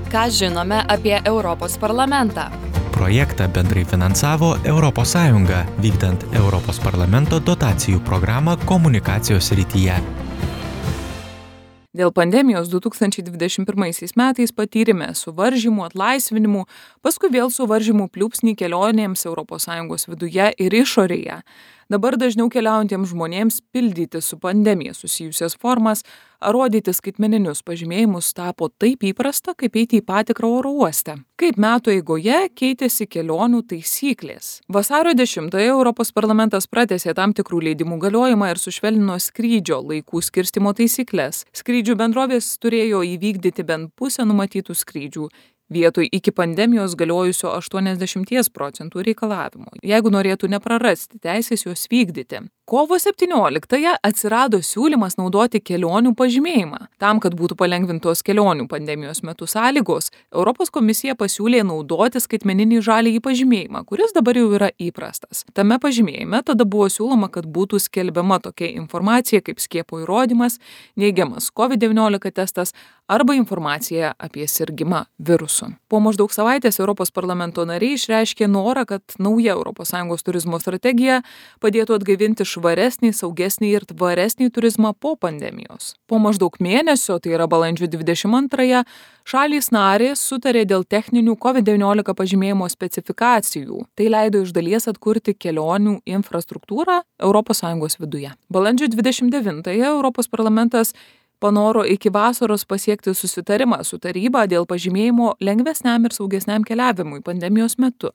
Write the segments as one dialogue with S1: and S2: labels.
S1: Ką žinome apie Europos parlamentą?
S2: Projektą bendrai finansavo ES, vykdant Europos parlamento dotacijų programą komunikacijos srityje.
S3: Dėl pandemijos 2021 metais patyrėme suvaržymų, atlaisvinimų, paskui vėl suvaržymų pliūpsnį kelionėms ES viduje ir išorėje. Dabar dažniau keliaujantiems žmonėms pildyti su pandemija susijusias formas ar rodyti skaitmeninius pažymėjimus tapo taip įprasta, kaip eiti į patikrą oro uoste. Kaip metų eigoje keitėsi kelionių taisyklės. Vasario 10-ąją Europos parlamentas pratęsė tam tikrų leidimų galiojimą ir sušvelnino skrydžio laikų skirstymo taisyklles. Skrydžių bendrovės turėjo įvykdyti bent pusę numatytų skrydžių, vietoj iki pandemijos galiojusio 80% reikalavimo, jeigu norėtų neprarasti teisės juos vykdyti. Kovo 17-ąją atsirado siūlymas naudoti kelionių pažymėjimą. Tam, kad būtų palengvintos kelionių pandemijos metu sąlygos, Europos komisija pasiūlė naudoti skaitmeninį žaliąjį pažymėjimą, kuris dabar jau yra įprastas. Tame pažymėjime tada buvo siūloma, kad būtų skelbiama tokia informacija kaip skiepo įrodymas, neigiamas COVID-19 testas arba informacija apie sirgimą virusu. Po maždaug savaitės Europos parlamento nariai išreiškė norą, kad nauja ES turizmo strategija padėtų atgaivinti švaresnį, saugesnį ir tvaresnį turizmą po pandemijos. Po maždaug mėnesio, tai yra balandžio 22-ąją, šalys narės sutarė dėl techninių COVID-19 pažymėjimo specifikacijų. Tai leido iš dalies atkurti kelionių infrastruktūrą ES viduje. Balandžio 29-ąją Europos parlamentas panoro iki vasaros pasiekti susitarimą su taryba dėl pažymėjimo lengvesniam ir saugesniam keliavimui pandemijos metu.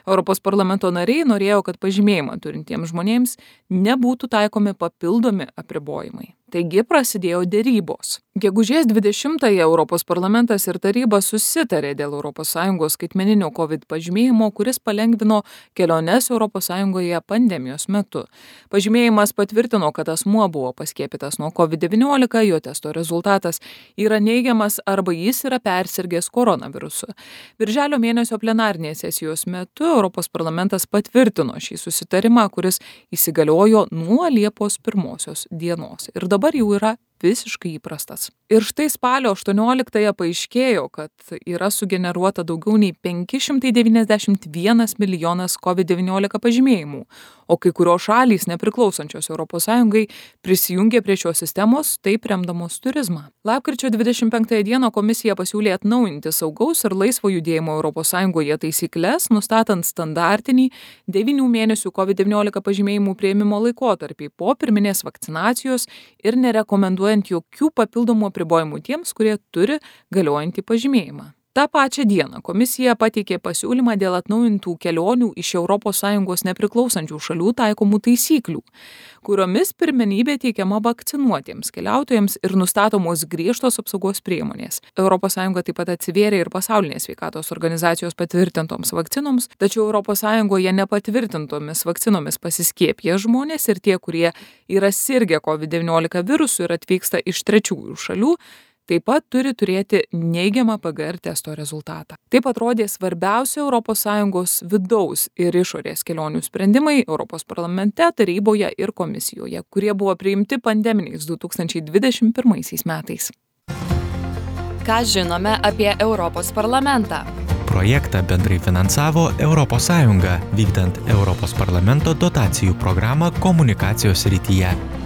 S3: Europos parlamento nariai norėjo, kad pažymėjimą turintiems žmonėms nebūtų taikomi papildomi apribojimai. Taigi prasidėjo derybos. Gegužės 20-ąją Europos parlamentas ir taryba susitarė dėl ES skaitmeninio COVID pažymėjimo, kuris palengvino keliones ES pandemijos metu. Pažymėjimas patvirtino, kad asmuo buvo paskiepytas nuo COVID-19, jo testo rezultatas yra neigiamas arba jis yra persirgęs koronavirusu. Birželio mėnesio plenarinės sesijos metu Europos parlamentas patvirtino šį susitarimą, kuris įsigaliojo nuo Liepos 1 dienos ir dabar jau yra visiškai įprastas. Ir štai spalio 18-ąją paaiškėjo, kad yra sugeneruota daugiau nei 591 milijonas COVID-19 pažymėjimų, o kai kurios šalys nepriklausančios ES prisijungė prie šios sistemos, taip remdamos turizmą. Lapkričio 25 dieną komisija pasiūlė atnaujinti saugaus ir laisvo judėjimo ES taisyklės, nustatant standartinį 9 mėnesių COVID-19 pažymėjimų priėmimo laikotarpį po pirminės vakcinacijos ir nerekomenduojant jokių papildomų apribojimų tiems, kurie turi galiojantį pažymėjimą. Ta pačią dieną komisija pateikė pasiūlymą dėl atnaujintų kelionių iš ES nepriklausančių šalių taikomų taisyklių, kuriomis pirmenybė teikiama vakcinuotiems keliautojams ir nustatomos griežtos apsaugos priemonės. ES taip pat atsivėrė ir pasaulinės sveikatos organizacijos patvirtintoms vakcinoms, tačiau ES nepatvirtintomis vakcinomis pasiskiepję žmonės ir tie, kurie yra sirgę COVID-19 virusu ir atvyksta iš trečiųjų šalių, taip pat turi turėti neigiamą PCR testo rezultatą. Taip atrodė svarbiausi ES vidaus ir išorės kelionių sprendimai Europos parlamente, taryboje ir komisijoje, kurie buvo priimti pandeminiais 2021 metais.
S1: Ką žinome apie Europos parlamentą?
S2: Projektą bendrai finansavo ES, vykdant Europos parlamento dotacijų programą komunikacijos srityje.